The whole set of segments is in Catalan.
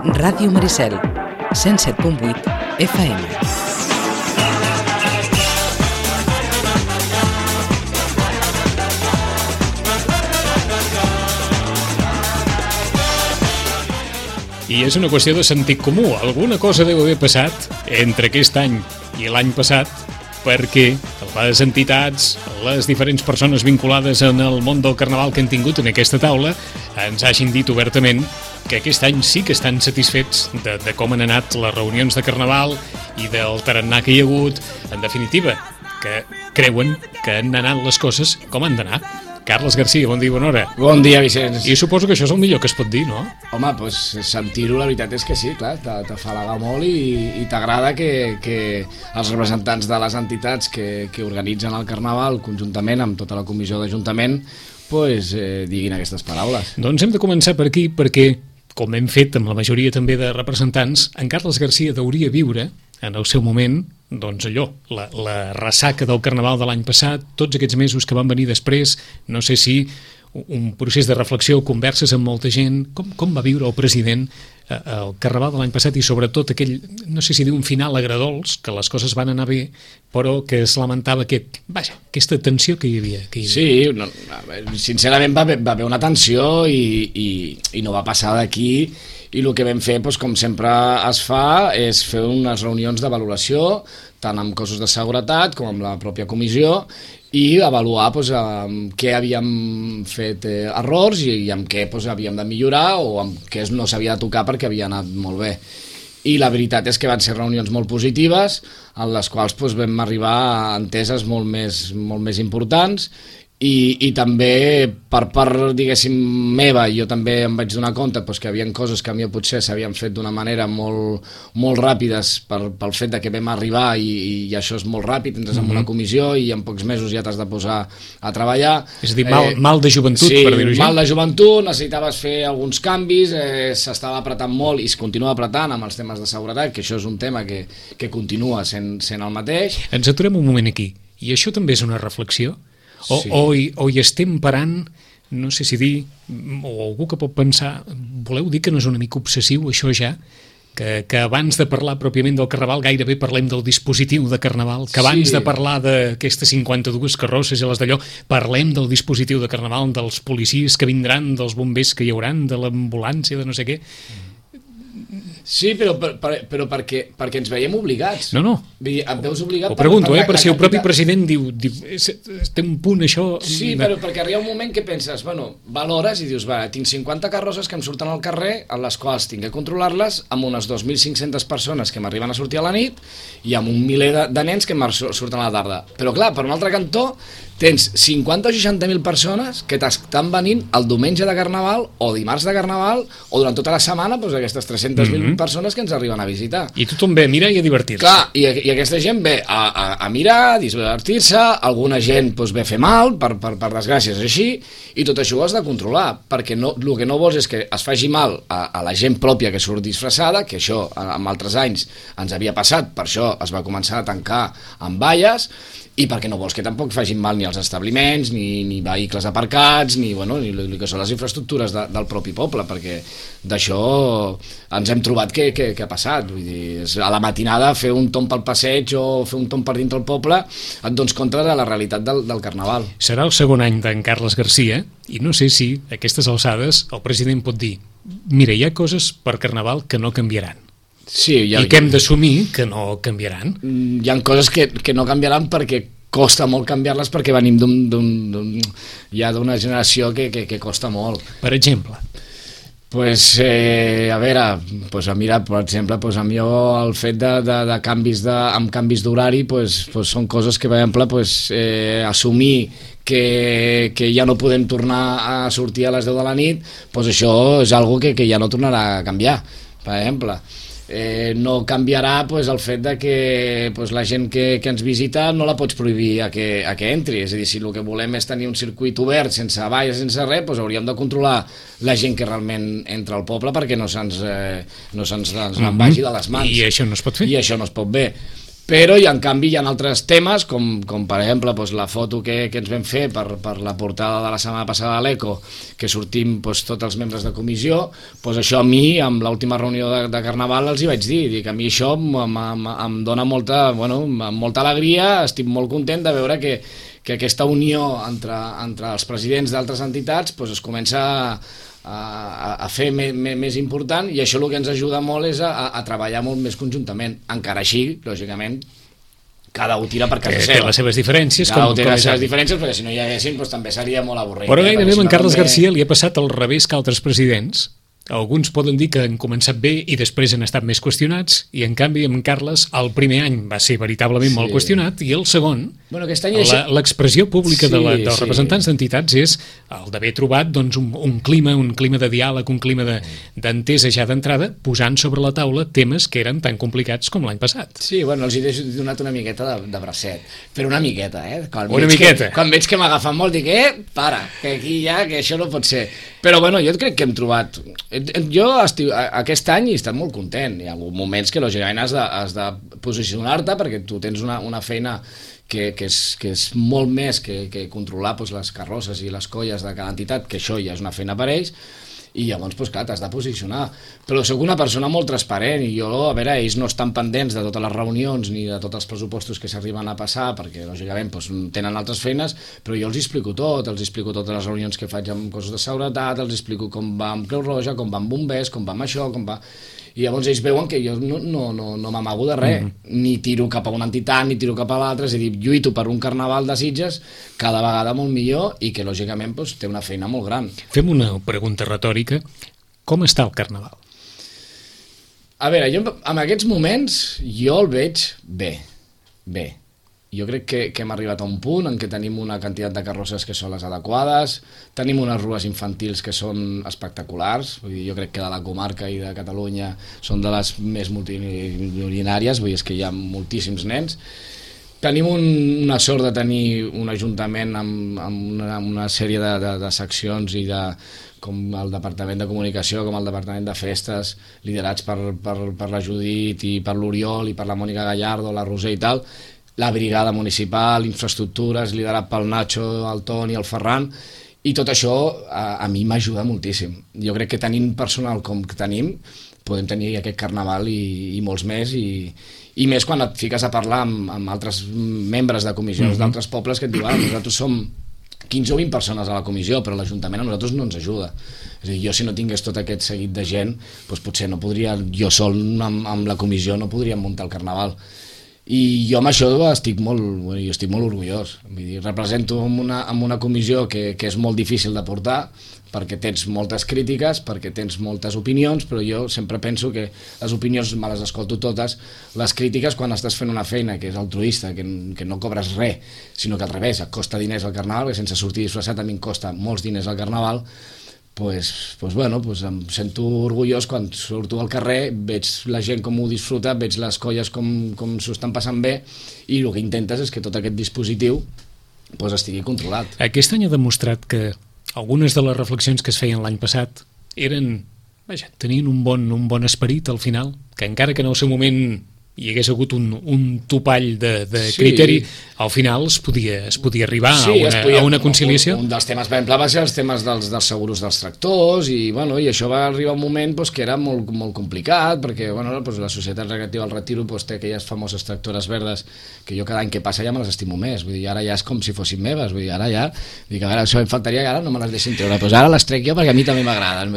Ràdio Maricel, 107.8 FM. I és una qüestió de sentit comú. Alguna cosa deu haver passat entre aquest any i l'any passat perquè les entitats, les diferents persones vinculades en el món del carnaval que han tingut en aquesta taula ens hagin dit obertament que aquest any sí que estan satisfets de com han anat les reunions de carnaval i del tarannà que hi ha hagut. En definitiva, que creuen que han anat les coses com han d'anar. Carles Garcia, bon dia i bona hora. Bon dia, Vicenç. I suposo que això és el millor que es pot dir, no? Home, doncs sentir-ho, la veritat és que sí, clar, t'afalaga molt i t'agrada que els representants de les entitats que organitzen el carnaval, conjuntament amb tota la comissió d'Ajuntament, diguin aquestes paraules. Doncs hem de començar per aquí perquè, com hem fet amb la majoria també de representants, en Carles Garcia hauria viure en el seu moment, doncs allò, la ressaca del carnaval de l'any passat, tots aquests mesos que van venir després, no sé si un procés de reflexió, converses amb molta gent, com va viure el president el carnaval de l'any passat i sobretot aquell, no sé si dir un final agradols, que les coses van anar bé, però que es lamentava aquesta tensió que hi havia. Sí, sincerament va haver una tensió i no va passar d'aquí. I el que vam fer, com sempre es fa, és fer unes reunions de valoració, tant amb cossos de seguretat com amb la pròpia comissió, i avaluar què havíem fet errors i amb què havíem de millorar o amb què no s'havia de tocar perquè havia anat molt bé. I la veritat és que van ser reunions molt positives, en les quals vam arribar a enteses molt més importants, i també per part, diguéssim, meva, jo també em vaig donar compte que hi havia coses que a mi potser s'havien fet d'una manera molt ràpides pel fet que vam arribar i això és molt ràpid, entres en una comissió i en pocs mesos ja t'has de posar a treballar. És a dir, mal de joventut, per dir-ho així. Sí, mal de joventut, necessitaves fer alguns canvis, s'estava apretant molt i es continua apretant amb els temes de seguretat, que això és un tema que continua sent el mateix. Ens aturem un moment aquí, i això també és una reflexió? O hi estem parant, no sé si dir, o algú que pot pensar, voleu dir que no és una mica obsessiu això ja? Que abans de parlar pròpiament del carnaval gairebé parlem del dispositiu de carnaval, que abans de parlar d'aquestes 52 carrosses i les d'allò, parlem del dispositiu de carnaval, dels policies que vindran, dels bombers que hi hauran, de l'ambulància, de no sé què. Sí, però perquè ens veiem obligats. No. Em veus obligat. Ho pregunto, per si el propi president diu té un punt això... Sí, però perquè arriba un moment que penses, valores i dius, tinc 50 carrosses que em surten al carrer, en les quals tinc que controlar-les, amb unes 2.500 persones que m'arriben a sortir a la nit i amb un miler de nens que surten a la tarda. Però clar, per un altre cantó, tens 50 o 60.000 persones que t'estan venint el diumenge de Carnaval o dimarts de Carnaval o durant tota la setmana, aquestes 300.000 persones que ens arriben a visitar. I tothom ve a mirar i a divertir-se. Clar, i aquesta gent ve a mirar, a divertir-se, alguna gent ve a fer mal, per desgràcia és així, i tot això ho has de controlar, perquè el que no vols és que es faci mal a la gent pròpia que surt disfressada, que això en altres anys ens havia passat, per això es va començar a tancar amb valles, i perquè no vols que tampoc facin mal ni els establiments, ni vehicles aparcats, ni el que són les infraestructures del propi poble, perquè d'això ens hem trobat que ha passat. Vull dir, a la matinada fer un tomb pel passeig o fer un tomb per dintre el poble et dones compte de la realitat del carnaval. Serà el segon any d'en Carles Garcia i no sé si a aquestes alçades el president pot dir mira, hi ha coses per carnaval que no canviaran. Sí, i que hem d'assumir que no canviaran. Hi ha coses que no canviaran perquè costa molt canviar-les, perquè venim d'una generació que costa molt. Per exemple? A veure, mira, per exemple, a mi el fet de canvis d'horari són coses que, per exemple, assumir que ja no podem tornar a sortir a les 10 de la nit, això és una cosa que ja no tornarà a canviar, per exemple. No canviarà el fet que la gent que ens visita no la pots prohibir a que entri, és a dir, si el que volem és tenir un circuit obert sense valles, sense res, hauríem de controlar la gent que realment entra al poble perquè no se'ns vagi de les mans. I això no es pot fer? I això no es pot bé. Però en canvi hi ha altres temes, com per exemple doncs, la foto que ens vam fer per la portada de la setmana passada de l'Eco, que sortim doncs, tots els membres de comissió, doncs això a mi, amb l'última reunió de Carnaval, els hi vaig dir que a mi això em dona molta alegria, estic molt content de veure que aquesta unió entre els presidents d'altres entitats doncs, es comença a fer més important, i això el que ens ajuda molt és a treballar molt més conjuntament. Encara així, lògicament, cada un tira per casa seva. Té les seves diferències. Cada un té les seves diferències, perquè si no hi haguessin doncs, també seria molt avorrit. Però gairebé amb en Carles Garcia li ha passat al revés que altres presidents. Alguns poden dir que han començat bé i després han estat més qüestionats, i en canvi amb Carles el primer any va ser veritablement molt qüestionat, i el segon, l'expressió pública dels representants d'entitats és el d'haver trobat doncs, un clima de diàleg, un clima d'entesa ja d'entrada, posant sobre la taula temes que eren tan complicats com l'any passat. Sí, bueno, els he donat una miqueta de bracet, però una miqueta, Quan veig que m'agafen molt, dic, para, que aquí ja, que això no pot ser. Però bueno, jo crec que hem trobat... Jo aquest any he estat molt content. Hi ha moments que lògicament has de posicionar-te, perquè tu tens una feina que és molt més que controlar doncs, les carrosses i les colles de cada entitat, que això ja és una feina per ells, i llavors, doncs, clar, t'has de posicionar. Però soc una persona molt transparent, i jo, a veure, ells no estan pendents de totes les reunions ni de tots els pressupostos que s'arriben a passar, perquè, lògicament, doncs, tenen altres feines, però jo els explico tot, els explico totes les reunions que faig amb cossos de seguretat, els explico com va amb Creu Roja, com va amb bombers, com va amb això, com va... I llavors ells veuen que jo no m'amago de res, ni tiro cap a una entitat, ni tiro cap a l'altra, és a dir, lluito per un carnaval de Sitges cada vegada molt millor, i que lògicament doncs, té una feina molt gran. Fem una pregunta retòrica. Com està el carnaval? A veure, jo en aquests moments jo el veig bé. Jo crec que hem arribat a un punt en què tenim una quantitat de carrosses que són les adequades, tenim unes rues infantils que són espectaculars, vull dir, jo crec que de la comarca i de Catalunya són de les més multitudinàries, vull dir, és que hi ha moltíssims nens. Tenim una sort de tenir un ajuntament amb una sèrie de seccions i com el Departament de Comunicació, com el Departament de Festes, liderats per la Judit i per l'Oriol i per la Mònica Gallardo, la Roser i tal, la brigada municipal, infraestructures, liderat pel Nacho, el Toni, el Ferran, i tot això a mi m'ajuda moltíssim. Jo crec que tenint personal com que tenim, podem tenir aquest carnaval i molts més, i més quan et fiques a parlar amb altres membres de comissions d'altres pobles que et diuen, nosaltres som 15 o 20 persones a la comissió, però l'Ajuntament a nosaltres no ens ajuda. És a dir, jo si no tingués tot aquest seguit de gent, doncs potser no podria, jo sol amb la comissió no podríem muntar el carnaval. I jo amb això estic molt orgullós. Vull dir, represento en una comissió que és molt difícil de portar, perquè tens moltes crítiques, perquè tens moltes opinions, però jo sempre penso que les opinions me les escolto totes, les crítiques quan estàs fent una feina que és altruista, que no cobres res, sinó que al revés, et costa diners al carnaval, perquè sense sortir disfressat a mi em costa molts diners al carnaval, em sento orgullós quan surto al carrer, veig la gent com ho disfruta, veig les colles com s'ho estan passant bé, i el que intentes és que tot aquest dispositiu estigui controlat. Aquest any ha demostrat que algunes de les reflexions que es feien l'any passat tenien un bon esperit al final, que encara que en el seu moment hi hagués hagut un topall de criteri, al final es podia arribar a una conciliació. Un dels temes, per exemple, va ser els temes dels seguros dels tractors, i això va arribar un moment que era molt complicat, perquè la Societat Recreativa del Retiro té aquelles famoses tractores verdes que jo cada any que passa ja me les estimo més, vull dir, ara ja és com si fossin meves, vull dir, ara ja, a veure, això em faltaria que ara no me les deixin treure, doncs ara les trec jo perquè a mi també m'agraden.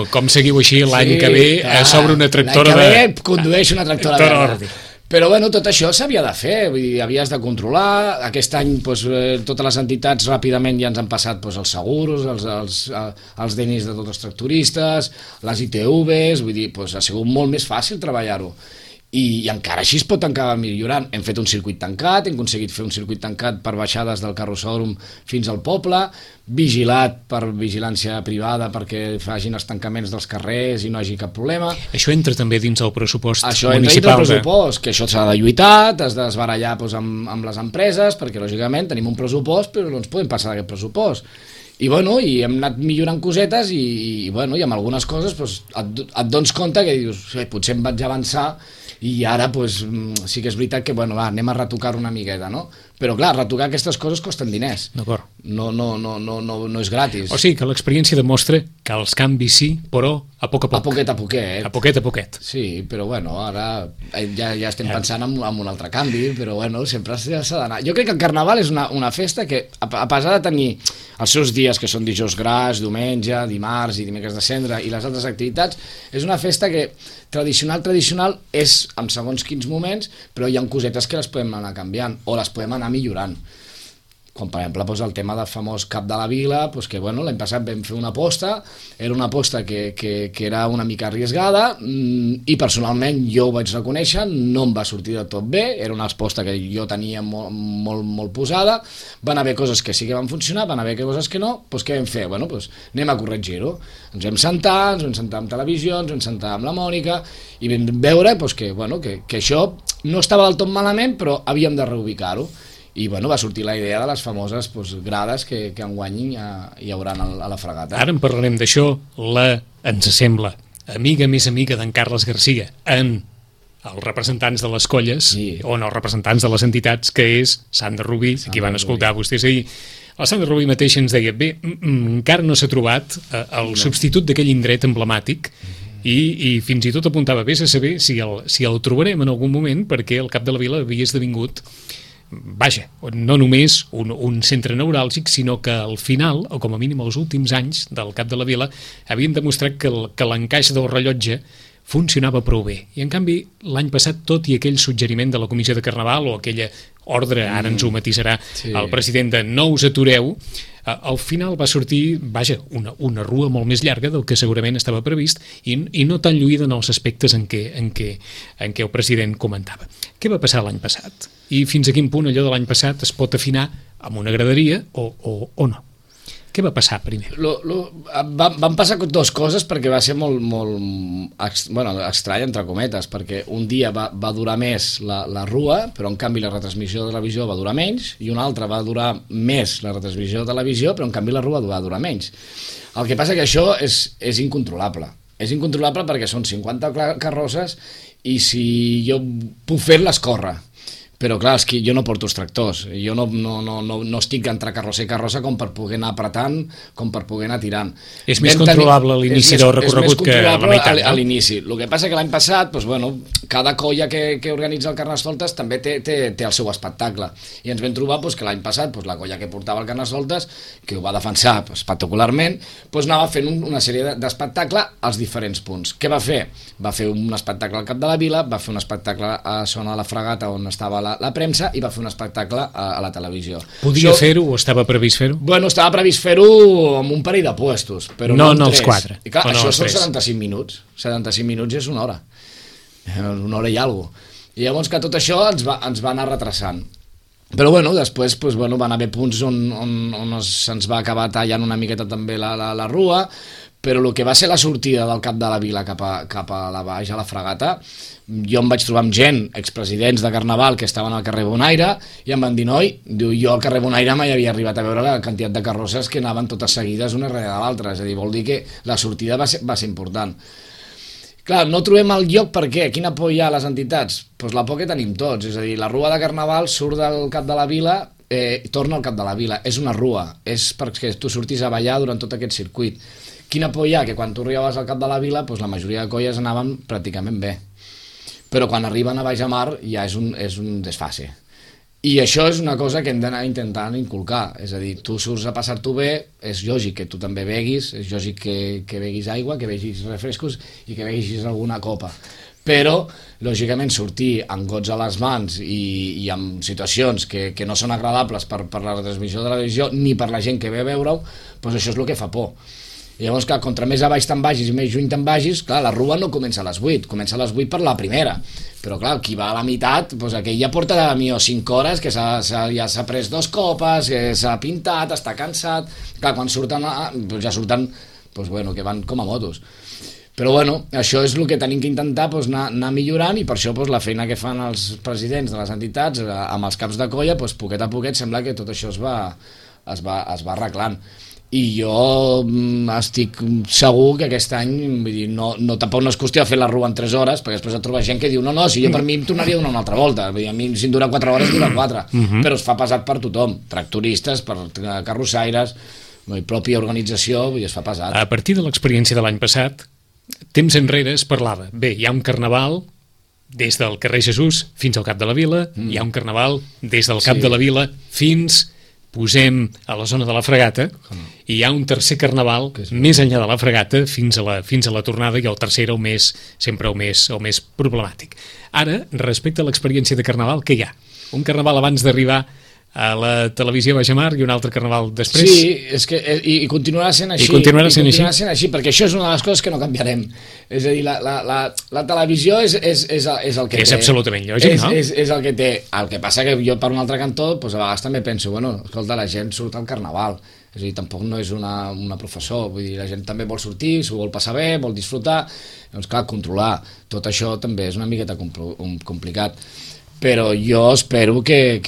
Com seguiu així l'any que ve sobre una tractora l'any que ve condueix una tractora verda. Però tot això s'havia de fer, vull dir, havies de controlar. Aquest any totes les entitats ràpidament ja ens han passat els seguros, els DNIs de tots els tractoristes, les ITVs, vull dir, ha sigut molt més fàcil treballar-ho. I encara així es pot encara millorant. Hem fet un circuit tancat, hem aconseguit fer un circuit tancat per baixades del carrossòdrom fins al poble, vigilat per vigilància privada perquè facin els tancaments dels carrers i no hi hagi cap problema. Això entra també dins el pressupost municipal. Això entra dins el pressupost, que això s'ha de lluitar, t'has d'esbarallar amb les empreses, perquè lògicament tenim un pressupost però no ens podem passar d'aquest pressupost. I hem anat millorant cosetes i amb algunes coses et dones compte que dius, potser em vaig avançar i ara pues, sí que és veritat que bueno, va, anem a retocar una miqueta, no? Però clar, retocar aquestes coses costen diners. D'acord. No és gratis. O sigui que l'experiència demostra que els canvis sí, però a poc a poc. A poquet a poquet. A poquet a poquet. Sí, però bueno, ara ja estem pensant en un altre canvi, però bueno, sempre s'ha d'anar. Jo crec que el Carnaval és una festa que, a pesar de tenir els seus dies, que són dijous gras, diumenge, dimarts i dimecres de cendra, i les altres activitats, és una festa que tradicional és en segons quins moments, però hi ha cosetes que les podem anar canviant, o les podem anar millorant. Com per exemple doncs, el tema del famós Cap de la Vila, doncs, que bueno, l'any passat vam fer una aposta, era una aposta que era una mica arriesgada, i personalment jo ho vaig reconèixer, no em va sortir de tot bé, era una aposta que jo tenia molt posada, van haver coses que sí que van funcionar, van haver coses que no, doncs què vam fer? Bueno, doncs anem a corregir-ho. Ens vam sentar amb televisió, ens vam sentar amb la Mònica, i vam veure doncs, que això no estava del tot malament, però havíem de reubicar-ho. I bueno, va sortir la idea de les famoses grades que enguany hi haurà a la Fragata. Ara en parlarem d'això. Ens sembla amiga més amiga d'en Carles Garcia en els representants de les colles, sí, o no, els representants de les entitats, que és Sandra Rubí, qui van escoltar vostès ahir. La Sandra Rubí mateix ens deia, bé, encara no s'ha trobat el substitut d'aquell indret emblemàtic, i fins i tot apuntava, vés a saber si el trobarem en algun moment, perquè el Cap de la Vila havia esdevingut, vaja, no només un centre neuràlgic, sinó que al final, o com a mínim els últims anys del Cap de la Vila, havien demostrat que l'encaix del rellotge funcionava prou bé. I en canvi, l'any passat, tot i aquell suggeriment de la Comissió de Carnaval o aquella ordre, ara ens ho matisarà el president, de no us atureu, al final va sortir, vaja, una rua molt més llarga del que segurament estava previst i no tan lluïda en els aspectes en què el president comentava. Què va passar l'any passat? I fins a quin punt allò de l'any passat es pot afinar amb una graderia o no? Què va passar primer? Van passar dues coses, perquè va ser molt estrany, entre cometes, perquè un dia va durar més la rua, però en canvi la retransmissió de televisió va durar menys, i un altre va durar més la retransmissió de televisió, però en canvi la rua va durar menys. El que passa que això és incontrolable. És incontrolable perquè són 50 carrosses i si jo puc fer-les, córrer. Però clar, és que jo no porto els tractors, jo no estic entre carrossa i carrossa com per poder anar apretant, com per poder anar tirant. És més controlable a l'inici del recorregut que a la meitat, no? A l'inici. El que passa que l'any passat, cada colla que organitza el Carnestoltes també té el seu espectacle. I ens vam trobar que l'any passat la colla que portava el Carnestoltes, que ho va defensar espectacularment, anava fent una sèrie d'espectacle als diferents punts. Què va fer? Va fer un espectacle al Cap de la Vila, va fer un espectacle a zona de la Fragata on estava la premsa, i va fer un espectacle a la televisió. Podia fer-ho o estava previst fer-ho? Bueno, estava previst fer-ho amb un parell de puestos, però no els 4. I clar, això són 75 minuts. 75 minuts és una hora. Una hora i alguna cosa. I llavors que tot això ens va anar retrasant. Però bueno, després van haver punts on se'ns va acabar tallant una miqueta també la rua, però el que va ser la sortida del Cap de la Vila cap a la baix, a la Fragata, jo em vaig trobar amb gent, expresidents de Carnaval, que estaven al carrer Bonaire, i em van dir, jo al carrer Bonaire mai havia arribat a veure la quantitat de carrosses que anaven totes seguides una darrere de l'altra, és a dir, vol dir que la sortida va ser important. Clar, no trobem el lloc. Per què? Quina por hi ha a les entitats? Doncs la por que tenim tots, és a dir, la rua de Carnaval surt del Cap de la Vila, torna al Cap de la Vila, és una rua, és perquè tu sortis a ballar durant tot aquest circuit. Quina por hi ha? Que quan tu arribaves al Cap de la Vila, la majoria de colles anaven pràcticament bé, però quan arriben a Baix a Mar ja és un desfase. I això és una cosa que hem d'anar intentant inculcar, és a dir, tu surts a passar-t'ho bé, és lògic que tu també beguis, és lògic que beguis aigua, que beguis refrescos i que beguis alguna copa, però lògicament sortir amb gots a les mans i amb situacions que no són agradables per la retransmissió de la televisió ni per la gent que ve a veure-ho, doncs això és el que fa por. I llavors, clar, contra més a baix te'n vagis i més juny te'n vagis, clar, la rua no comença a les 8, comença a les 8 per la primera. Però, clar, qui va a la meitat, doncs aquell ja porta a mi 5 hores, que ja s'ha pres 2 copes, que s'ha pintat, està cansat. Clar, quan surten, ja surten, que van com a motos. Però, bueno, això és el que tenim que intentar, anar millorant, i per això la feina que fan els presidents de les entitats amb els caps de colla, poquet a poquet sembla que tot això es va arreglant. i jo estic segur que aquest any, vull dir, tampoc no és qüestió de fer la rua en 3 hores, perquè després et trobes gent que diu no, si jo per mi em tornaria a donar una altra volta, vull dir, a mi si em dura 4 hores dura 4, però es fa pesat per tothom, tractoristes, per carrossaires, la pròpia organització, vull dir, es fa pesat. A partir de l'experiència de l'any passat, temps enrere es parlava, bé, hi ha un carnaval des del carrer Jesús fins al Cap de la Vila, hi ha un carnaval des del Cap de la Vila fins... posem a la zona de la Fregata i hi ha un tercer carnaval més enllà de la Fregata fins a la tornada, i el tercer era sempre el més problemàtic. Ara, respecte a l'experiència de carnaval, què hi ha? Un carnaval abans d'arribar a la televisió Baixamar i un altre carnaval després? Sí, és que, i continuarà sent així. I continuarà sent així, perquè això és una de les coses que no canviarem. És a dir, la televisió és el que té. És absolutament lògic, no? És el que té. El que passa que jo, per un altre cantó, doncs a vegades també penso, bueno, escolta, la gent surt al carnaval. És a dir, tampoc no és una professor, vull dir, la gent també vol sortir, s'ho vol passar bé, vol disfrutar. Doncs clar, controlar tot això també és una miqueta complicat. Però jo espero que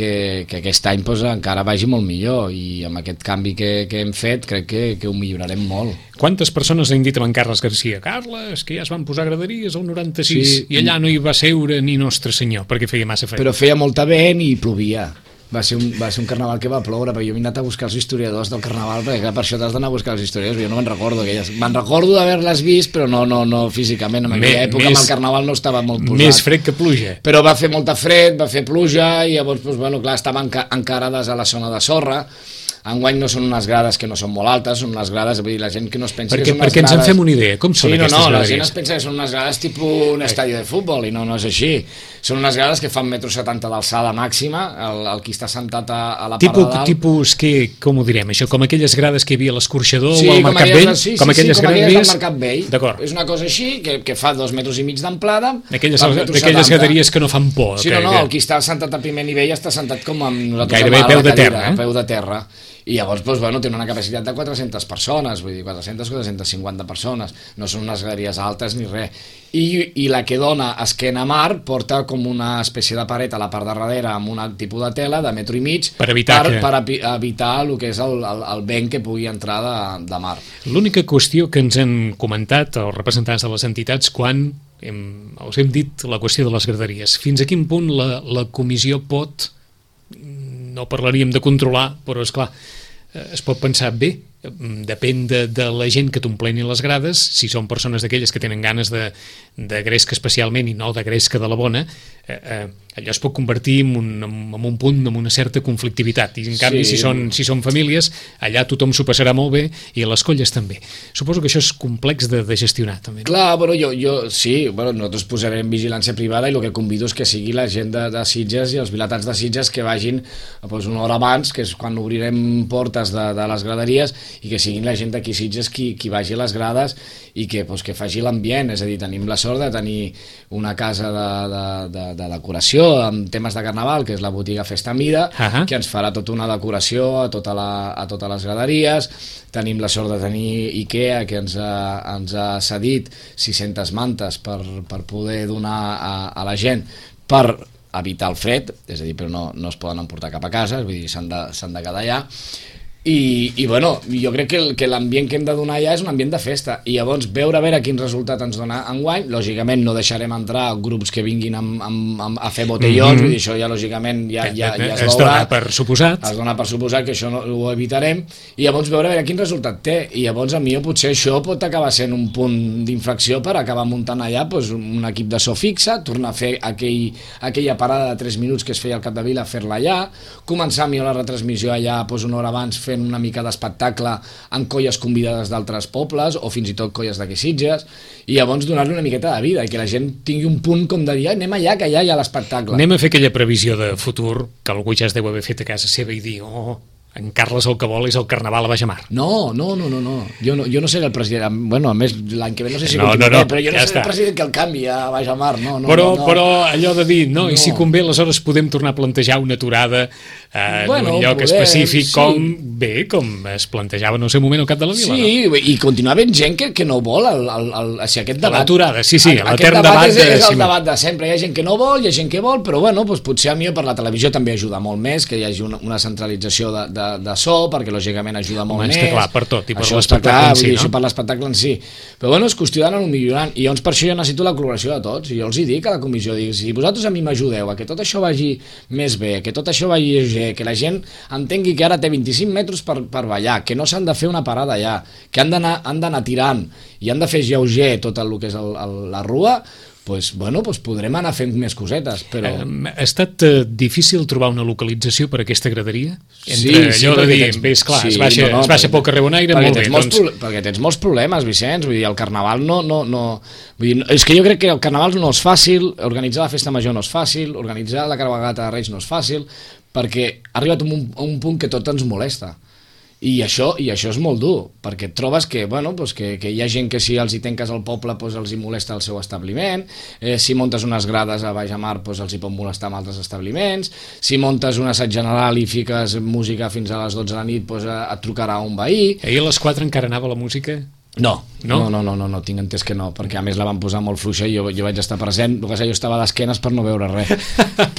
aquest any doncs, encara vagi molt millor, i amb aquest canvi que hem fet crec que ho millorarem molt. Quantes persones han dit amb en Carles Garcia? Carles, que ja es van posar graderies al 96 i allà no hi va seure ni Nostre Senyor perquè feia massa fred. Però feia molta vent i plovia. Va ser un carnaval que va ploure, perquè jo m'he anat a buscar els historiadors del carnaval, perquè clar, per això t'has d'anar a buscar els historiadors, jo no me'n recordo. Me'n recordo d'haver-les vist, però no físicament. En aquella època amb el carnaval no estava molt posat. Més fred que pluja. Però va fer molta fred, va fer pluja, i llavors, doncs, bueno, clar, estaven encarades a la zona de sorra. Enguany no són unes grades que no són molt altes, són unes grades, vull dir, la gent que no es pensa que són unes grades... Perquè ens en fem una idea, com són aquestes graderies? La gent es pensa que són unes grades tipus un estadi de futbol, i no és així. Són unes grades que fan 1,70 m d'alçada màxima, el qui està sentat a la part de dalt... Tipus, com ho direm, això? Com aquelles grades que hi havia a l'Escorxador o al Mercat Vell? Sí, com aquelles del Mercat Vell. D'acord. És una cosa així, que fa 2,5 metres d'amplada... D'aquelles graderies que no fan por. Sí, el qui està sentat a primer nivell està sentat com amb nosaltres... Gairebé peu de terra, a peu de terra. I llavors, doncs, bueno, tenen una capacitat de 400 persones, vull dir, 450 persones, no són unes graderies altes ni res. I la que dona esquena a mar porta com una espècie de paret a la part de darrere amb un tipus de tela de 1,5 m per evitar el que és el vent que pugui entrar de mar. L'única qüestió que ens han comentat els representants de les entitats quan us hem dit la qüestió de les graderies, fins a quin punt la comissió pot... No parlaríem de controlar, però és clar, es pot pensar bé, depèn de la gent que t'ompleni les grades, si són persones d'aquelles que tenen ganes de gresca especialment i no de gresca de la bona, allò es pot convertir en un punt, en una certa conflictivitat, i en canvi si són famílies, allà tothom s'ho passarà molt bé i les colles també. Suposo que això és complex de gestionar també. Clar, bueno, nosaltres posarem vigilància privada, i el que convido és que sigui la gent de Sitges i els vilatans de Sitges que vagin una hora abans, que és quan obrirem portes de les graderies, i que siguin la gent d'aquí Sitges qui vagi a les grades i que faci l'ambient. És a dir, tenim la sort de tenir una casa de decoració amb temes de carnaval, que és la botiga Festa Mida, que ens farà tota una decoració a totes les graderies. Tenim la sort de tenir IKEA, que ens ha cedit 600 mantes per poder donar a la gent per evitar el fred, és a dir, però no es poden emportar cap a casa, vull dir, s'han de quedar allà. I bueno, jo crec que l'ambient que hem de donar ja és un ambient de festa, i llavors veure quin resultat ens dona enguany. Lògicament no deixarem entrar grups que vinguin a fer botellons, vull dir, això ja lògicament ja es veurà, dona per suposat. Es dona per suposat que això ho evitarem, i llavors veure quin resultat té, i llavors a mi potser això pot acabar sent un punt d'inflexió per acabar muntant allà un equip de so fixa, tornar a fer aquella parada de 3 minuts que es feia al Capdevila, fer-la allà, començar millor la retransmissió allà una hora abans, fent una mica d'espectacle amb colles convidades d'altres pobles o fins i tot colles d'aquí Sitges, i llavors donar-li una miqueta de vida i que la gent tingui un punt com de dir anem allà, que allà hi ha l'espectacle. Anem a fer aquella previsió de futur que algú ja es deu haver fet a casa seva i dir en Carles el que vol és el carnaval a Baixamar. No. Jo no seré el president. Bueno, a més, l'any que ve no sé si continuaré, però jo no seré el president que el canvi a Baixamar. Però allò de dir, i si convé, aleshores podem tornar a plantejar una aturada en un lloc específic, com es plantejava en el seu moment al Cap de la Vila. Sí, i continua havent gent que no vol aquest debat. L'aturada, sí, l'etern debat és el debat de sempre. Hi ha gent que no vol, hi ha gent que vol, però bueno, potser a mi per la televisió també ajuda molt més que hi hagi una centralització de de so, perquè lògicament ajuda molt més. Està clar, per tot, i per això l'espectacle en si, no? Això per l'espectacle en si. Però bueno, és qüestió d'anar-ho millorant, i llavors per això jo necessito la col·laboració de tots, i jo els hi dic a la comissió, dic, si vosaltres a mi m'ajudeu a que tot això vagi més bé, que tot això vagi lleuger, que la gent entengui que ara té 25 metres per ballar, que no s'han de fer una parada allà, que han d'anar tirant i han de fer lleuger tot el que és la rua, doncs podrem anar fent més cosetes, però... Ha estat difícil trobar una localització per a aquesta graderia? Sí, allò de dir, es baixa pel carrer Bonaire, molt bé. Perquè tens molts problemes, Vicenç, vull dir, el carnaval no... Vull dir, és que jo crec que el carnaval no és fàcil, organitzar la festa major no és fàcil, organitzar la cavalcada de Reis no és fàcil, perquè ha arribat a un punt que tot ens molesta. I això és molt dur, perquè et trobes que hi ha gent que si els hi tanques al poble els hi molesta el seu establiment, si muntes unes grades a Baix a Mar els hi pot molestar amb altres establiments, si muntes un assaig general i fiques música fins a les 12 de la nit et trucarà un veí. Ahir a les 4 encara anava la música? No, tinc entès que no, perquè a més la van posar molt fluixa i jo vaig estar present, el que jo estava a d'esquenes per no veure res,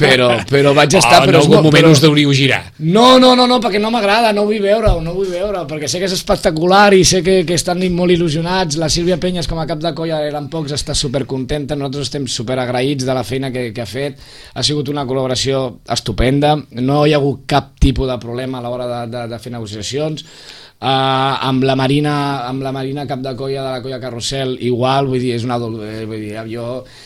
però vaig estar... en algun moment us deuríeu girar. No, perquè no m'agrada, no vull veure, perquè sé que és espectacular i sé que estan molt il·lusionats, la Sílvia Penyes com a cap de colla eren pocs, està supercontenta, nosaltres estem superagraïts de la feina que ha fet, ha sigut una col·laboració estupenda, no hi ha hagut cap tipus de problema a l'hora de fer negociacions. Amb la Marina cap de colla de la colla Carrusel igual, vull dir, és una jo,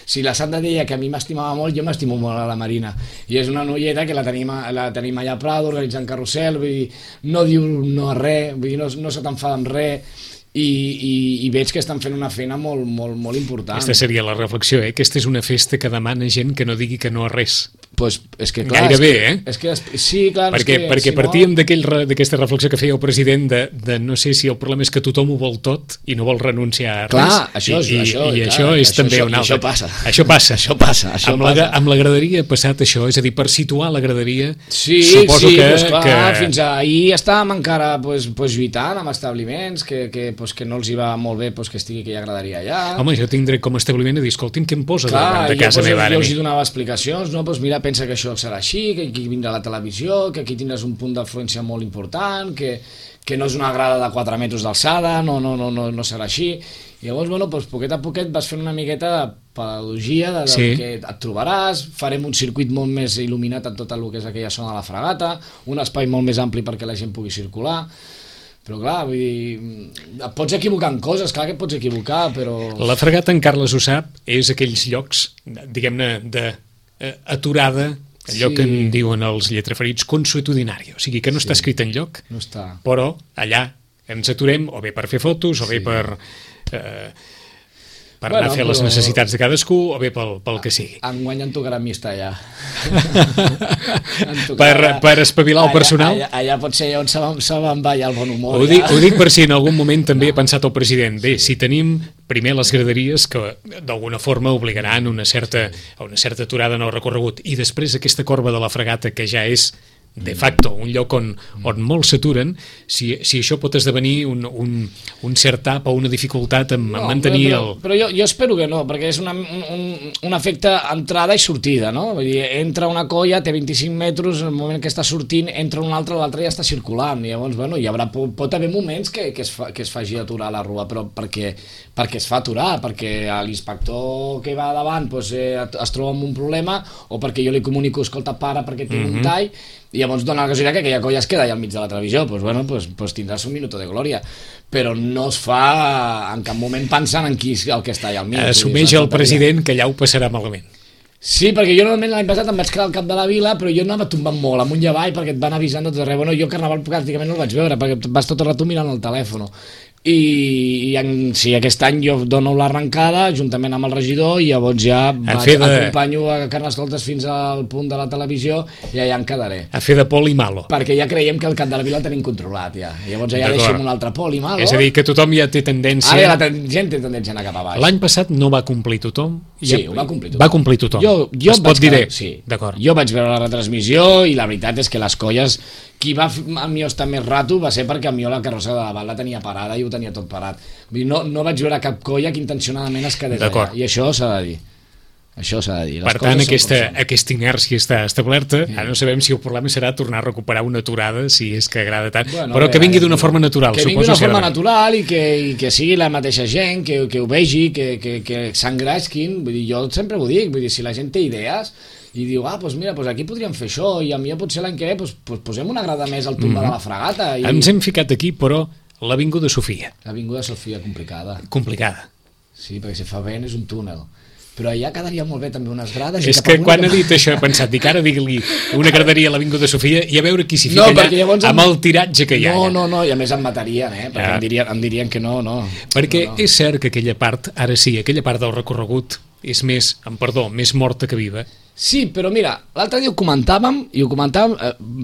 si la Sandra deia que a mi m'estimava molt, jo m'estimo molt a la Marina, i és una noieta que la tenim allà a Prado organitzant Carrusel, vull dir, no diu no a res, vull dir, no se t'enfada amb res, i veig que estan fent una feina molt, molt, molt important. Aquesta seria la reflexió, Aquesta és una festa que demana gent que no digui que no a res. Pues és que clar, gairebé, sí, clar, perquè partíem d'aquesta reflexió que feia el president de no sé si el problema és que tothom ho vol tot i no vol renunciar a res. Clar, això és també un altre. Això passa. Amb la graderia ha passat això, és a dir, per situar la graderia, suposo que fins ahir estàvem encara lluitant amb establiments que no els hi va molt bé que estigui aquella graderia allà. Home, jo tinc dret com a establiment a dir, escolti'm, què em posa davant de casa meva? Jo els hi donava explicacions, mira, pensa que això serà així, que aquí vindrà la televisió, que aquí tindràs un punt d'influència molt important, que no és una grada de 4 metres d'alçada, no serà així. I llavors, poquet a poquet vas fent una miqueta de pedagogia que et trobaràs, farem un circuit molt més il·luminat en tot el que és aquella zona de la Fragata, un espai molt més ampli perquè la gent pugui circular. Però clar, vull dir, et pots equivocar en coses, clar que et pots equivocar, però... La Fragata, en Carles ho sap, és aquells llocs, diguem-ne, d'aturada, allò que en diuen els lletraferits, consuetudinari, o sigui que no està escrit enlloc, però allà ens aturem o bé per fer fotos o bé per anar a fer les necessitats de cadascú o bé pel que sigui. Enguany en tocarà mista allà. Per espavilar el personal? Allà pot ser on se me'n va ja el bon humor. Ho dic per si en algun moment també ha pensat el president. Bé, si tenim primer les graderies que d'alguna forma obligaran a una certa aturada en el recorregut i després aquesta corba de la Fragata que ja és de facto, un lloc on molts s'aturen, si això pot esdevenir un cert tap o una dificultat en mantenir Però jo espero que no, perquè és un efecte entrada i sortida, no? Vull dir, entra una colla, té 25 metres, en el moment que està sortint, entra una altra, l'altra ja està circulant, i llavors, pot haver moments que es faci aturar la rua, però perquè es fa aturar, perquè l'inspector que va davant es troba amb un problema, o perquè jo li comunico, escolta, para, perquè tinc un tall, i llavors dona la casualitat que aquella colla es queda allà al mig de la televisió, doncs tindràs un minuto de glòria, però no es fa en cap moment pensant en qui el que està allà al mig. Assumeix el president que allà ho passarà malament. Sí, perquè jo normalment l'any passat em vaig quedar al cap de la vila, però jo anava tombant molt amunt i avall perquè et van avisant de tot arreu. Jo Carnaval pràcticament no el vaig veure perquè vas tot el rato mirant el telèfon. I aquest any jo dono l'arrencada juntament amb el regidor i llavors ja acompanyo a Carnestoltes fins al punt de la televisió i allà em quedaré. A fer de poli malo. Perquè ja creiem que el cap de la vila el tenim controlat ja. I llavors ja deixem un altre poli malo. És a dir, que tothom ja té tendència... Ara la gent té tendència a anar cap a baix. L'any passat no va complir tothom. Sí, ho va complir tothom. Va complir tothom. Jo es pot dir bé. Sí. D'acord. Jo vaig veure la retransmissió i la veritat és que les colles... Qui va a mi estar més rato va ser perquè a mi la carrossa de davant la tenia parada i ho tenia tot parat. No vaig veure cap colla que intencionadament es quedés allà, i això s'ha de dir. Això s'ha de dir. Per tant, aquesta inèrcia està establerta. Ara no sabem si el problema serà tornar a recuperar una aturada, si és que agrada tant, però que vingui d'una forma natural. Que vingui d'una forma natural i que sigui la mateixa gent, que ho vegi, que s'engresquin. Vull dir, jo sempre ho dic, vull dir, si la gent té idees i diu, doncs mira, aquí podríem fer això, i a mi potser l'any que ve posem una grada més al tomba de la Fragata. Ens hem ficat aquí, però l'Avinguda Sofia. L'Avinguda Sofia, complicada. Complicada. Sí, perquè si fa vent és un túnel. Però allà quedaria molt bé també unes grades. És que quan ha dit això he pensat, dic ara digui-li una graderia a l'Avinguda Sofia i a veure qui s'hi fica allà amb el tiratge que hi ha. No, i a més em matarien, perquè em dirien que no. Perquè és cert que aquella part, ara sí, aquella part del recorregut és més, amb perdó, més morta que viva. Sí, però mira, l'altre dia ho comentàvem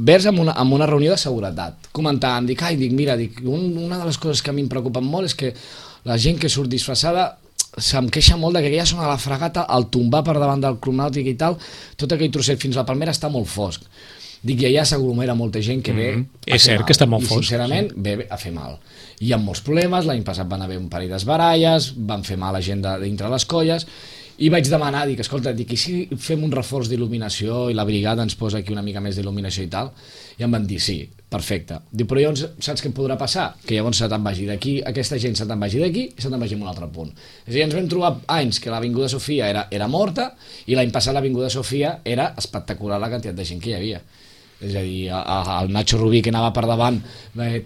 vers amb una reunió de seguretat. Comentàvem, mira, una de les coses que a mi em preocupen molt és que la gent que surt disfressada se'm queixa molt que aquella zona de la Fragata, al tombar per davant del Club Nàutic i tal, tot aquell trosset fins a la Palmera està molt fosc. Dic, i allà s'aglomera molta gent que ve a és cert que està molt fosc. I sincerament ve a fer mal. Hi ha molts problemes, l'any passat van haver un parell d'esbaralles, van fer mal a gent dintre les colles, i vaig demanar, escolta, i si fem un reforç d'il·luminació i la brigada ens posa aquí una mica més d'il·luminació i tal? I em van dir, sí, perfecte. Diu, però llavors saps què podrà passar? Que llavors se te'n vagi d'aquí, aquesta gent se te'n vagi d'aquí i se te'n vagi a un altre punt. És a dir, ens vam trobar anys que l'Avinguda Sofia era morta i l'any passat l'Avinguda Sofia era espectacular la quantitat de gent que hi havia. És a dir, el Nacho Rubí que anava per davant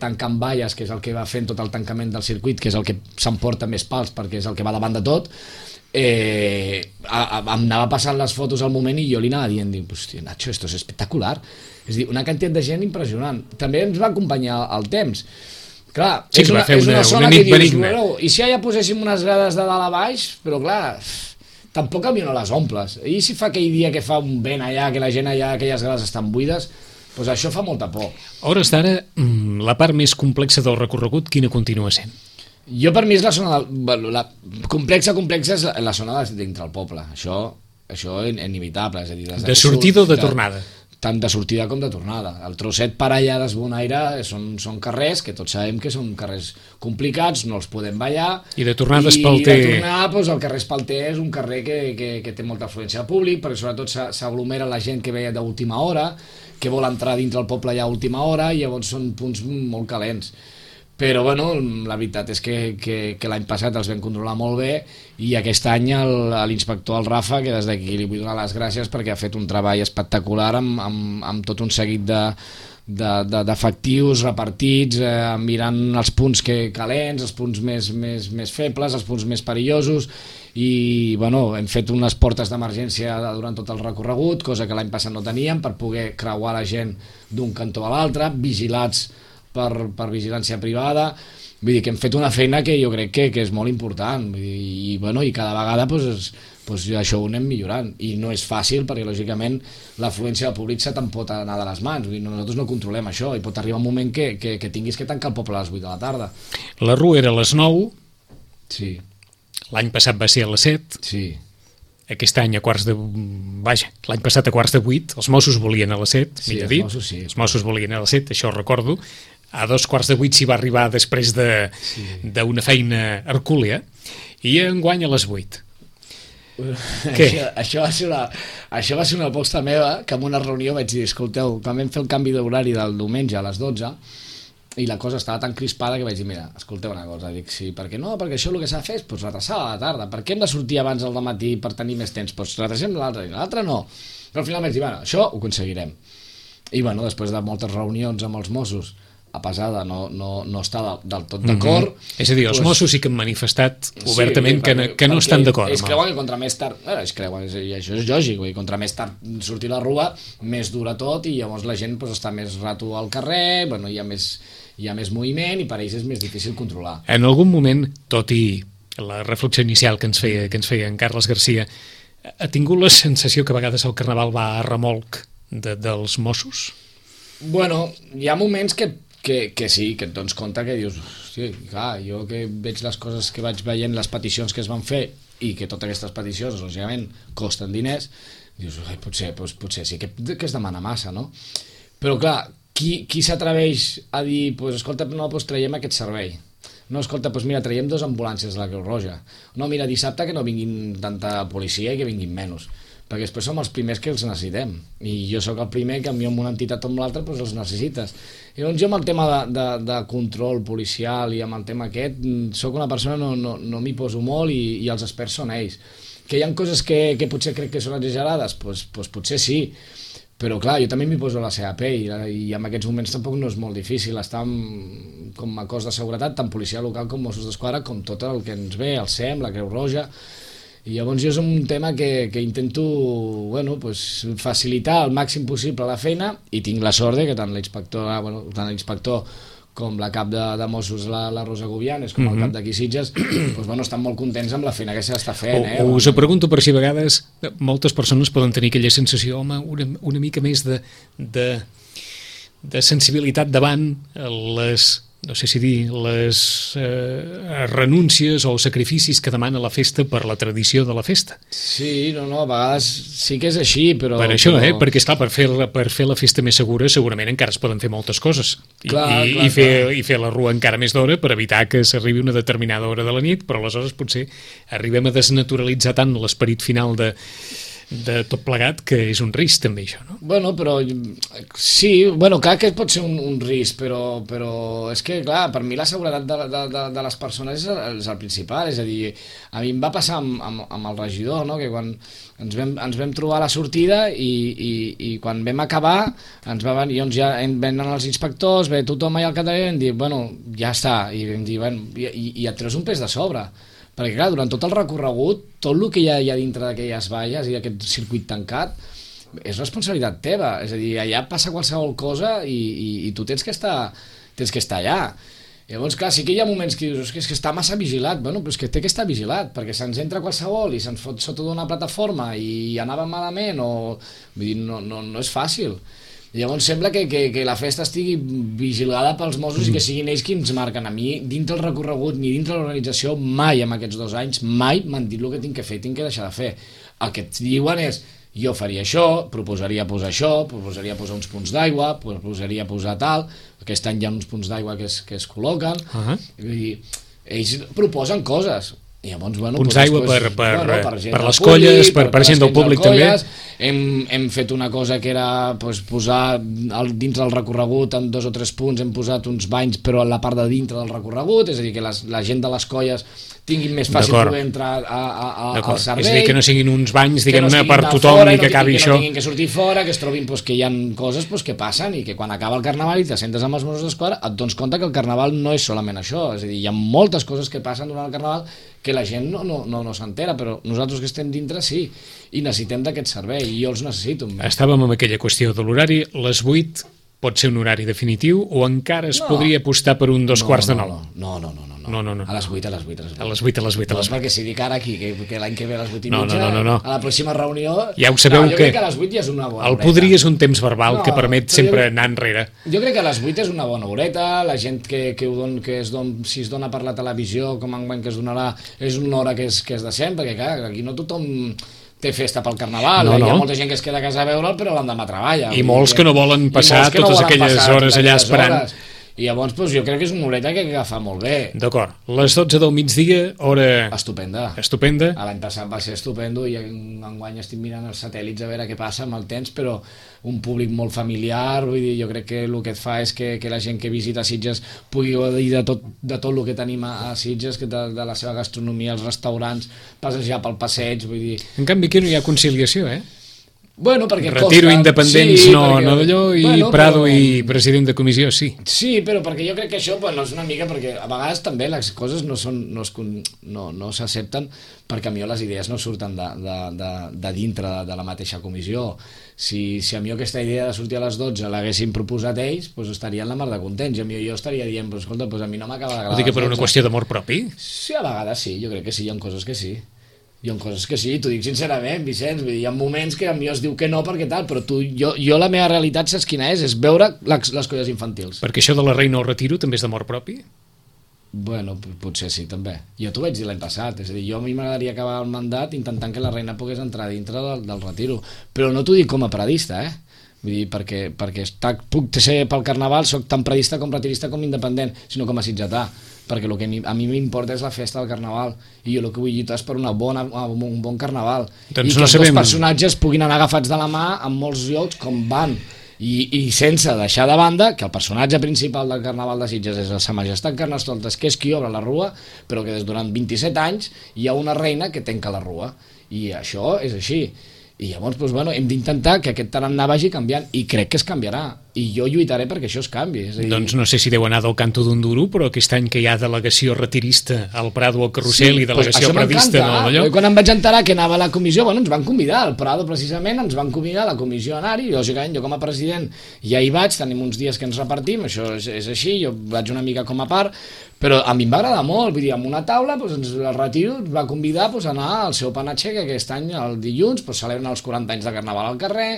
tancant valles, que és el que va fent tot el tancament del circuit, que és el que s'emporta més pals perquè és el que va davant de tot, em anava passant les fotos al moment i jo li anava dient, hòstia, Nacho, esto es espectacular. És a dir, una quantitat de gent impressionant. També ens va acompanyar el temps. Clar, sí, és una zona que dius, i si allà poséssim unes grades de dalt a baix, però clar, tampoc a mi no les omples. I si fa aquell dia que fa un vent allà, que la gent allà, aquelles grades estan buides, doncs això fa molta por. A hores d'ara, la part més complexa del recorregut, quina continua sent? Jo, per mi, és la zona complexa és la zona dintre el poble. Això és inevitable. És a dir, de sortida o de tornada? Tant de sortida com de tornada. El trosset per allà d'Esbonaire són carrers que tots sabem que són carrers complicats, no els podem ballar. I de tornada Espalter? I de tornada, doncs, el carrer Espalter és un carrer que té molta afluència de públic, perquè sobretot s'aglomera la gent que ve d'última hora, que vol entrar dintre el poble ja a última hora, i llavors són punts molt calents. Però bueno, la veritat és que l'any passat els vam controlar molt bé i aquest any l'inspector, el Rafa, que des d'aquí li vull donar les gràcies perquè ha fet un treball espectacular amb tot un seguit d'efectius repartits, mirant els punts calents, els punts més febles, els punts més perillosos, i bueno, hem fet unes portes d'emergència durant tot el recorregut, cosa que l'any passat no teníem, per poder creuar la gent d'un cantó a l'altre, vigilats per vigilància privada. Vull dir que hem fet una feina que jo crec que és molt important, i cada vegada això ho anem millorant, i no és fàcil perquè lògicament l'afluència del públic se te'n pot anar de les mans. Vull dir, nosaltres no controlem això, i pot arribar un moment que tinguis que tancar el poble a les 8 de la tarda. La rua era a les 9, sí. L'any passat va ser a les 7, sí. Aquest any l'any passat a quarts de 8, els Mossos volien a les 7, sí, els Mossos volien a les 7, això ho recordo, a 2:45 s'hi va arribar després d'una feina hercúlea, i enguany a les 8. Això va ser una aposta meva, que en una reunió vaig dir, escolteu, quan vam fer el canvi d'horari del diumenge a les 12, i la cosa estava tan crispada que vaig dir, mira, escolteu una cosa, dic, sí, perquè no, perquè això el que s'ha de fer és retrasar a la tarda, per què hem de sortir abans al matí per tenir més temps, doncs retrasem l'altre no, però al final vaig dir, bueno, això ho aconseguirem, i bueno, després de moltes reunions amb els Mossos, a pesar de no estar del tot d'acord. És a dir, els Mossos sí que han manifestat obertament que no estan d'acord. Es creuen que contra més tard, i això és lògic, contra més tard sortir la rua, més dura tot, i llavors la gent està més rato al carrer, hi ha més moviment, i per ells és més difícil controlar. En algun moment, tot i la reflexió inicial que ens feia en Carles Garcia, ha tingut la sensació que a vegades el Carnaval va a remolc dels Mossos? Bueno, hi ha moments que sí, que et dones compte que dius, hosti, clar, jo que veig les coses que vaig veient, les peticions que es van fer, i que totes aquestes peticions, lògicament, costen diners, dius, potser sí que es demana massa, no? Però clar, qui s'atreveix a dir, escolta, no, traiem aquest servei? no, escolta, doncs mira, traiem 2 ambulàncies de la Creu Roja. No, mira, dissabte que no vinguin tanta policia i que vinguin menys. Perquè després som els primers que els necessitem. I jo sóc el primer que amb una entitat o amb l'altra doncs els necessites. I llavors jo amb el tema de control policial i amb el tema aquest, sóc una persona, no m'hi poso molt i els experts són ells. Que hi ha coses que potser crec que són exagerades? Doncs potser sí. Però clar, jo també m'hi poso a la seva pell i en aquests moments tampoc no és molt difícil estar com a cos de seguretat, tant policia local com Mossos d'Esquadra, com tot el que ens ve, el SEM, la Creu Roja. I llavors jo és un tema que intento facilitar al màxim possible la feina i tinc la sort que tant l'inspector com la cap de Mossos, la Rosa Gubianes, com el cap d'aquí Sitges, estan molt contents amb la feina que s'està fent. Us ho pregunto per si a vegades moltes persones poden tenir aquella sensació, home, una mica més de sensibilitat davant les no sé si dir, les renúncies o sacrificis que demana la festa per la tradició de la festa. Sí, a vegades sí que és així, però... Per això, perquè esclar, per fer la festa més segura segurament encara es poden fer moltes coses. I fer la rua encara més d'hora per evitar que s'arribi una determinada hora de la nit, però aleshores potser arribem a desnaturalitzar tant l'esperit final de tot plegat, que és un risc també això, no? Però sí, clar que pot ser un risc, però és que, clar, per mi la seguretat de les persones és el principal, és a dir, a mi em va passar amb el regidor, no?, que quan ens vam trobar a la sortida i quan vam acabar ens va venir, doncs ja venen els inspectors, ve tothom allà al capdavant i vam dir, ja està, i vam dir, i et treus un pes de sobre, perquè clar, durant tot el recorregut, tot el que hi ha dintre d'aquelles valles i d'aquest circuit tancat és responsabilitat teva, és a dir, allà passa qualsevol cosa i tu tens que estar allà. Llavors, clar, sí que hi ha moments que dius, és que està massa vigilat, però és que té que estar vigilat, perquè se'ns entra qualsevol i se'ns fot sota d'una plataforma i anava malament, vull dir, no és fàcil. Llavors sembla que la festa estigui vigilada pels Mossos i que siguin ells qui ens marquen. A mi, dintre el recorregut ni dintre l'organització, mai en aquests 2 anys, mai m'han dit el que tinc que fer, tinc que deixar de fer. El que et diuen és, jo faria això, proposaria posar això, proposaria posar uns punts d'aigua, proposaria posar tal, aquest any hi ha uns punts d'aigua que es col·loquen, i ells proposen coses. I llavors, punts d'aigua per les colles, per gent del públic també. Hem fet una cosa que era posar dins del recorregut en 2 o 3 punts, hem posat uns banys però a la part de dintre del recorregut, és a dir, que la gent de les colles tinguin més fàcil poder entrar al servei. És a dir, que no siguin uns banys, diguem-ne, per tothom i que acabi això. Que no tinguin que sortir fora, que es trobin que hi ha coses que passen i que quan acaba el Carnaval i te sentes amb els Mossos d'Esquadra et dones compte que el Carnaval no és solament això, és a dir, hi ha moltes coses que passen durant el Carnaval que la gent no s'entera, però nosaltres que estem dintre sí, i necessitem d'aquest servei, i jo els necessito. Estàvem amb aquella qüestió de l'horari, les 8 pot ser un horari definitiu o encara es podria apostar per un 8:45? No. A les 8. A les 8. No, perquè si dic ara aquí que l'any que ve a les 8:30, a la pròxima reunió... Ja ho sabeu jo crec que a les 8 ja és una bona horeta. El podria és un temps verbal que permet sempre anar enrere. Jo crec que a les 8 és una bona horeta, la gent si es dona per la televisió, com enguany que es donarà, és una hora que és decent, perquè clar, aquí no tothom té festa pel Carnaval, hi ha molta gent que es queda a casa a veure'l però l'endemà treballa. I molts que no volen passar totes aquelles hores allà esperant. I llavors jo crec que és una horeta que agafa molt bé. D'acord, les 12 del migdia, hora... Estupenda. L'any passat va ser estupendo i enguany estic mirant els satèl·lits a veure què passa amb el temps, però un públic molt familiar, vull dir, jo crec que el que et fa és que la gent que visita Sitges pugui gaudir de tot el que tenim a Sitges, de la seva gastronomia, els restaurants, passejar pel passeig, vull dir... En canvi aquí no hi ha conciliació, perquè Retiro, Independents, sí, no d'allò, i Prado i president de comissió, sí. Sí, però perquè jo crec que això és una mica, perquè a vegades també les coses no s'accepten per camió, les idees no surten de dintre de la mateixa comissió. Si a mi aquesta idea de sortir a les 12 l'haguessin proposat ells, estarien la mar de contents, i a mi jo estaria dient, escolta, a mi no m'acaba d'agradar. Vull dir que per una qüestió d'amor propi? Sí, a vegades sí, jo crec que sí, hi ha coses que sí. T'ho dic sincerament, Vicenç, vull dir, hi ha moments que a mi es diu que no perquè tal, però jo la meva realitat saps quina és veure les colles infantils. Perquè això de la reina al retiro també és d'amor propi? Potser sí, també. Jo t'ho vaig dir l'any passat, és a dir, a mi m'agradaria acabar el mandat intentant que la reina pogués entrar dintre del retiro, però no t'ho dic com a paradista, vull dir, perquè puc ser pel Carnaval, soc tan predista com retirista com independent, sinó com a sitgetà, perquè el que a mi m'importa és la festa del Carnaval, i jo el que vull lluitar és per un bon Carnaval, doncs i que els dos personatges puguin anar agafats de la mà en molts llocs com van, i sense deixar de banda que el personatge principal del Carnaval de Sitges és Sa Majestat Carnestoltes, que és qui obre la rua, però que durant 27 anys hi ha una reina que tanca la rua, i això és així. I llavors, doncs, bueno, hem d'intentar que aquest tarannà vagi canviant, i crec que es canviarà, i jo lluitaré perquè això es canvi. És a dir... Doncs no sé si deu anar del canto d'un duro, però aquest any que hi ha delegació retirista al Prado al Carrusel, sí, i delegació pradista no, allò... Quan em vaig enterar que anava a la comissió, bueno, ens van convidar, al Prado precisament ens van convidar a la comissió a anar-hi, i lògicament jo com a president ja hi vaig, tenim uns dies que ens repartim, això és així, jo vaig una mica com a part, però a mi em va agradar molt, vull dir, amb una taula el Retiro ens va convidar a anar al seu panatge, que aquest any el dilluns celebren els 40 anys de Carnaval al carrer,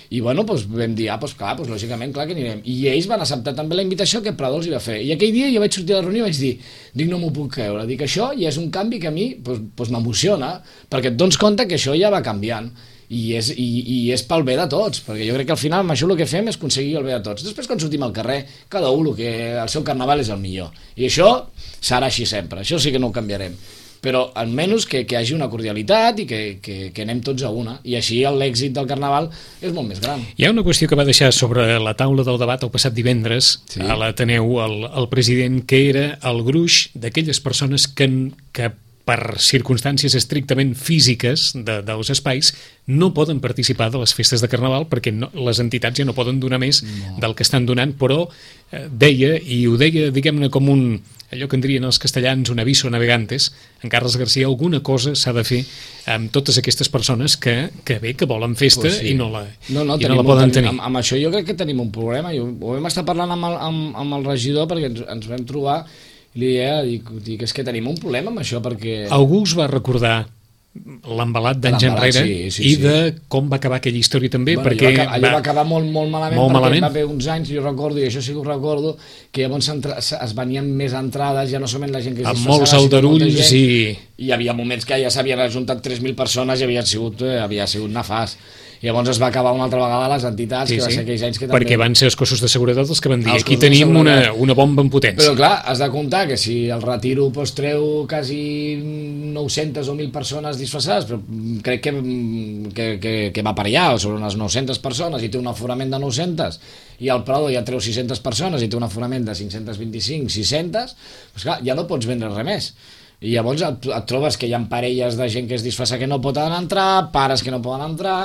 i bueno, vam dir, lògicament, clar que anirem, i ells van acceptar també la invitació que Prado els hi va fer, i aquell dia jo vaig sortir de la reunió i vaig dir, no m'ho puc creure, dic, això ja és un canvi que a mi m'emociona, perquè et dones compte que això ja va canviant, i és pel bé de tots, perquè jo crec que al final amb això el que fem és aconseguir el bé de tots. Després quan sortim al carrer, cada un el seu Carnaval és el millor, i això serà així sempre, això sí que no ho canviarem, però almenys que hi hagi una cordialitat i que anem tots a una, i així l'èxit del Carnaval és molt més gran. Hi ha una qüestió que va deixar sobre la taula del debat el passat divendres, sí, a l'Ateneu, el president, que era el gruix d'aquelles persones que per circumstàncies estrictament físiques dels espais no poden participar de les festes de Carnaval perquè les entitats ja no poden donar més del que estan donant, però deia, i ho deia, diguem-ne, com allò que en dirien els castellans, un aviso navegantes, en Carles García, alguna cosa s'ha de fer amb totes aquestes persones que volen festa, pues sí, i no la poden tenir. Amb això jo crec que tenim un problema, ho vam estar parlant amb el regidor perquè ens vam trobar, i dic, és que tenim un problema amb això, perquè... Algú us va recordar l'embalat d'anys enrere, i de com va acabar aquella història també, perquè allò va acabar molt malament, perquè va haver uns anys, jo recordo, i això sí que ho recordo, que llavors es venien més entrades, ja no solament la gent que es disfressava, amb molts aldarulls, i hi havia moments que ja s'havien ajuntat 3.000 persones i havia sigut nefast. I llavors es va acabar una altra vegada les entitats, que va ser aquells anys que també... Perquè van ser els cossos de seguretat els que van dir aquí tenim una bomba en potència. Però clar, has de comptar que si el Retiro treu quasi 900 o 1.000 persones disfressades, però crec que va per allà, sobre unes 900 persones, i té un aforament de 900, i al Prado ja treu 600 persones i té un aforament de 525, 600, doncs clar, ja no pots vendre res més. I llavors et trobes que hi ha parelles de gent que es disfressa que no poden entrar, pares que no poden entrar,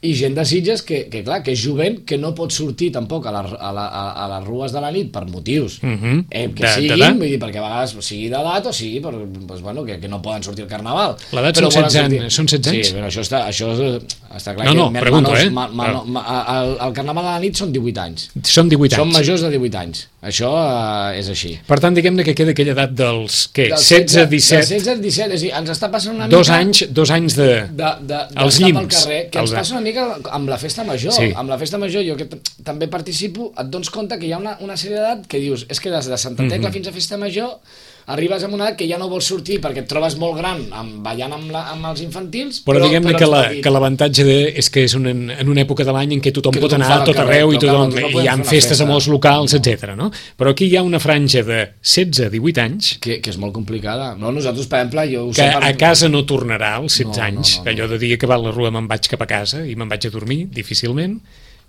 i gent de Sitges que clar, que és jovent, que no pot sortir tampoc a les rues de la nit per motius que siguin, vull dir, perquè a vegades sigui d'edat o sigui que no poden sortir al Carnaval. L'edat són 16 anys? Sí, però això està clar. No, pregunto, el Carnaval a la nit són 18 anys. Són 18 anys. Són majors de 18 anys. Això és així. Per tant, diguem-ne que queda aquella edat dels 16, 17... 16, 17, és a dir, ens està passant una mica... 2 anys de... Els llims. Carrer, que ens passa una mica amb la festa major. Sí. Amb la festa major, jo que també participo, et dones compte que hi ha una sèrie d'edat que dius, és que des de Santa Tecla fins a festa major arribes a una edat que ja no vols sortir perquè et trobes molt gran ballant amb els infantils, però diguem-ne que l'avantatge és que és en una època de l'any en què tothom pot anar a tot arreu i hi ha festes a molts locals, etc. No? Però aquí hi ha una franja de 16 a 18 anys que és molt complicada. No, nosaltres, per exemple, que a casa no tornarà als 16 anys, allò de dir que va a la rua me'n vaig cap a casa i me'n vaig a dormir, difícilment,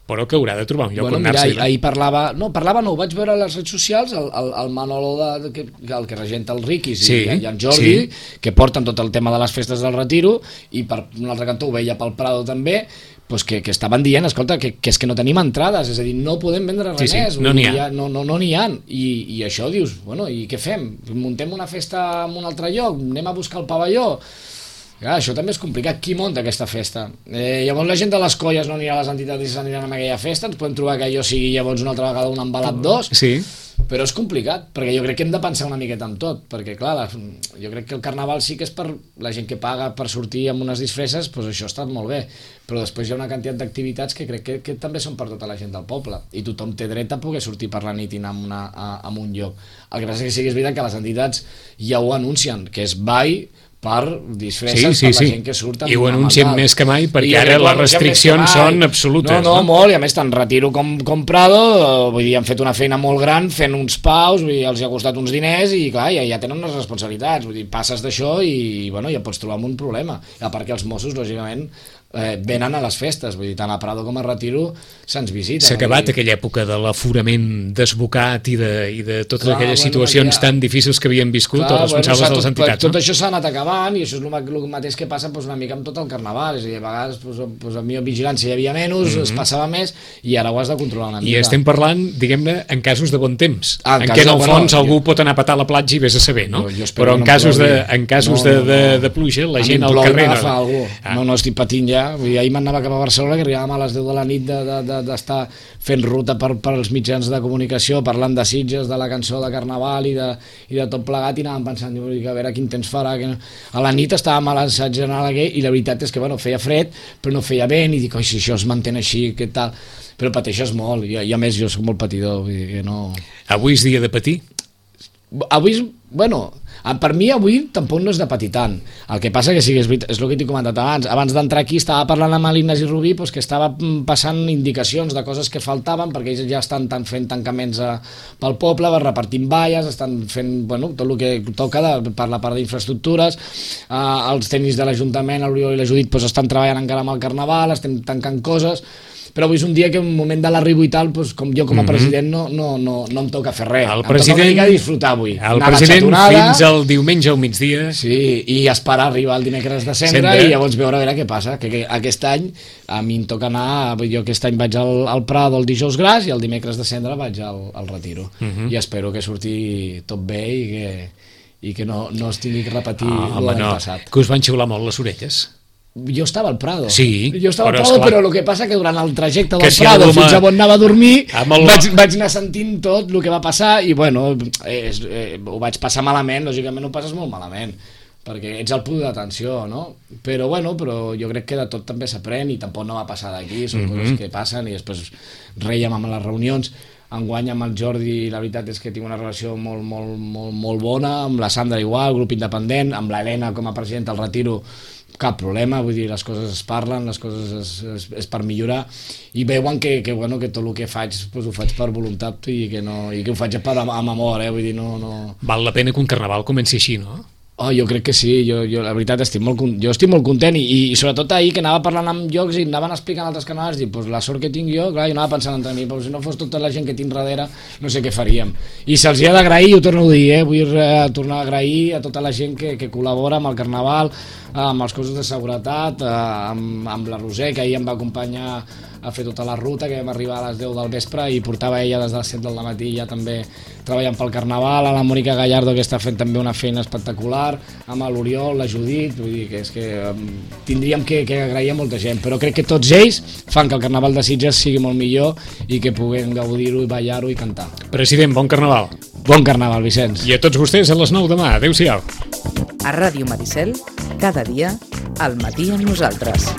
però que haurà de trobar un lloc on anar-se. Ahir parlava, ho vaig veure a les redes socials, el Manolo, el que regenta el Riquis i en Jordi, que porten tot el tema de les festes del Retiro, i per un altre cantó ho veia pel Prado també, que estaven dient, escolta, que és que no tenim entrades, és a dir, no podem vendre res més, no n'hi ha. No n'hi ha, i això dius, bueno, i què fem? Muntem una festa en un altre lloc? Anem a buscar el pavelló? Clar, això també és complicat, qui munta aquesta festa? Llavors la gent de les colles no anirà a les entitats i s'aniran a aquella festa, ens podem trobar que allò sigui llavors una altra vegada un embalat 2, però és complicat, perquè jo crec que hem de pensar una miqueta en tot, perquè clar, jo crec que el Carnaval sí que és per la gent que paga per sortir amb unes disfresses, doncs això està molt bé, però després hi ha una quantitat d'activitats que crec que també són per tota la gent del poble, i tothom té dret a poder sortir per la nit i anar a un lloc. El que passa és que sí que és veritat que les entitats ja ho anuncien, que és ball, per disfresses per la gent que surt i ho anuncien més que mai perquè ara les restriccions són absolutes. No, molt, i a més tant Retiro com Prado, vull dir, han fet una feina molt gran fent uns paus, vull dir, els ha costat uns diners i clar, ja tenen unes responsabilitats, vull dir, passes d'això i bueno, ja pots trobar amb un problema, a part que els Mossos lògicament venen a les festes, vull dir, tant a Prado com a Retiro se'ns visiten. S'ha acabat aquella època de l'aforament desbocat i de totes aquelles situacions tan difícils que havien viscut els responsables de les entitats. Tot això s'ha anat acabant i això és el mateix que passa una mica amb tot el carnaval, és a dir, a vegades a mi vigilància hi havia menys, es passava més i ara ho has de controlar una mica. I estem parlant, diguem-ne, en casos de bon temps, en què en el fons algú pot anar a petar a la platja i vés a saber, no? Però en casos de pluja, la gent al carrer... No estic patint ja. Ahir m'anava cap a Barcelona, que arribàvem a les 10 de la nit d'estar fent ruta per als mitjans de comunicació, parlant de Sitges, de la cançó de Carnaval i de tot plegat, i anàvem pensant a veure quin temps farà. A la nit estàvem a l'assaig general i la veritat és que feia fred però no feia vent, i dic, si això es mantén així, què tal? Però pateixes molt, i a més jo soc molt patidor, vull dir que no... Avui és dia de patir? Avui, per mi avui tampoc no és de patir tant. El que passa que sí que és el que t'he comentat abans d'entrar aquí estava parlant amb l'Ignasi Rubí, que estava passant indicacions de coses que faltaven, perquè ells ja estan fent tancaments pel poble, repartint valles, estan fent tot el que toca per la part d'infraestructures, els tècnics de l'Ajuntament, l'Oriol i la Judit estan treballant encara amb el Carnaval, estem tancant coses, però avui és un dia que en un moment de l'arribo i tal, com jo com a president no em toca fer res, em toca una mica disfrutar avui. El president fins al diumenge al migdia. Sí, i esperar arribar el dimecres de Cendra i llavors veure què passa, que aquest any a mi em toca anar, jo aquest any vaig al Prado el dijous gras i el dimecres de Cendra vaig al Retiro, i espero que surti tot bé i que no es tingui que repetir l'any passat. Que us van xiular molt les orelles? Jo estava al Prado. Sí, però el que passa que durant el trajecte del Prado fins a on anava a dormir vaig anar sentint tot el que va passar i ho vaig passar malament, lògicament ho passes molt malament perquè ets al punt d'atenció, no? Però jo crec que de tot també s'aprèn i tampoc no va passar d'aquí, són coses que passen i després reiem amb les reunions. Enguany amb el Jordi la veritat és que tinc una relació molt bona, amb la Sandra igual, grup independent, amb l'Helena com a presidenta del Retiro cap problema, vull dir, les coses es parlen, les coses és per millorar i veuen que tot el que faig ho faig per voluntat i que ho faig amb amor, vull dir, no... Val la pena que un carnaval comenci així, no? Jo crec que sí, jo la veritat estic molt content i sobretot ahir que anava parlant amb llocs i anaven explicant altres canals i la sort que tinc jo, clar, jo anava pensant entre mi, si no fos tota la gent que tinc darrere no sé què faríem, i se'ls ha d'agrair, ho torno a dir, vull tornar a agrair a tota la gent que col·labora amb el Carnaval, amb els cossos de seguretat, amb la Roser, que ahir em va acompanyar a fer tota la ruta, que vam arribar a les 10 del vespre i portava ella des de les 7 del matí ja també treballant pel Carnaval, a la Mònica Gallardo que està fent també una feina espectacular, amb l'Oriol, la Judit, vull dir que és que tindríem que agrair a molta gent, però crec que tots ells fan que el Carnaval de Sitges sigui molt millor i que puguem gaudir-ho i ballar-ho i cantar. President, bon Carnaval. Bon Carnaval, Vicenç. I a tots vostès a les 9 demà. Adéu-siau. A Ràdio Maricel, cada dia, al matí amb nosaltres.